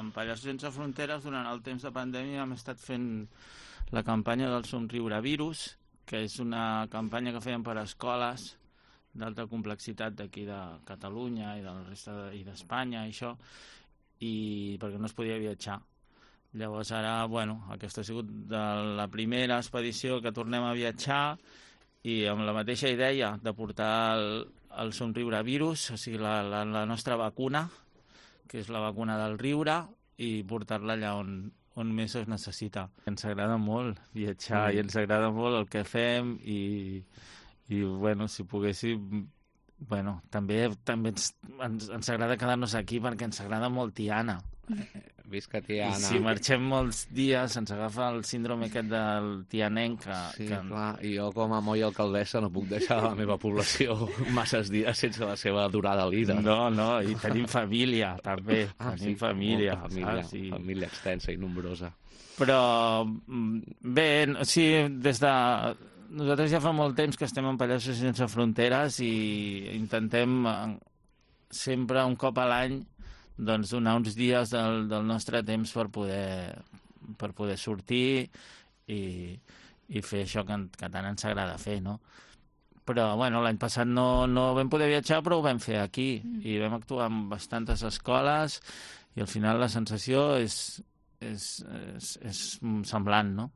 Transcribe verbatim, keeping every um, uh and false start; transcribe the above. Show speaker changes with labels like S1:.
S1: amb Pallassos Sense Fronteres, durant el temps de pandèmia, hem estat fent la campanya del Somriure Virus, que és una campanya que fèiem per a escoles d'alta complexitat d'aquí de Catalunya i de la resta de, i d'Espanya i això, i perquè no es podia viatjar. Llavors ara, bueno, aquesta ha sigut de la primera expedició que tornem a viatjar i amb la mateixa idea de portar el, el Somriure Virus, o sigui, la, la, la nostra vacuna, que és la vacuna del riure, i portar-la allà on, on més es necessita. Ens agrada molt viatjar mm. i ens agrada molt el que fem i, i bueno, si poguéssim... Bueno, també, també ens, ens, ens agrada quedar-nos aquí perquè ens agrada molt Tiana.
S2: Visca Tiana.
S1: I si marxem molts dies ens agafa el síndrome aquest del tianenc. Que,
S2: sí,
S1: que...
S2: clar, i jo com a moi alcaldessa no puc deixar la meva població masses dies sense la seva durada líder.
S1: No, no, i tenim família, també.
S2: Ah,
S1: tenim
S2: sí,
S1: família.
S2: família,
S1: saps? I...
S2: família extensa i nombrosa.
S1: Però, bé, sí, des de... Nosaltres ja fa molt temps que estem en Pallassos Sense Fronteres i intentem sempre un cop a l'any doncs, donar uns dies del, del nostre temps per poder, per poder sortir i, i fer això que, que tant ens agrada fer, no? Però, bueno, l'any passat no, no vam poder viatjar, però ho vam fer aquí i vam actuar en bastantes escoles i al final la sensació és, és, és, és semblant, no?